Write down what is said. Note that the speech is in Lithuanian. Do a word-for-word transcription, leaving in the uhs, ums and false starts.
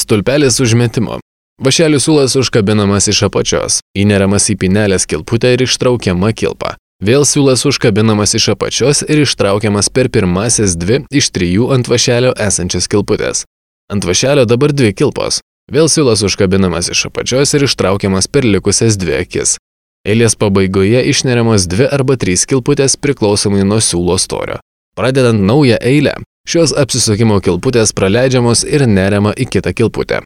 Stulpelis užmetimo. Vašelių siūlas užkabinamas iš apačios, įneriamas į pinelės kilputę ir ištraukiama kilpa. Vėl siūlas užkabinamas iš apačios ir ištraukiamas per pirmasis dvi iš trijų ant vašelio esančias kilputės. Ant vašelio dabar dvi kilpos. Vėl siūlas užkabinamas iš apačios ir ištraukiamas per likusias dvi akis. Eilės pabaigoje išneriamos dvi arba trys kilputės priklausomai nuo siūlo storio. Pradedant naują eilę, šios apsisukimo kilputės praleidžiamos ir neriama į kitą kilputę.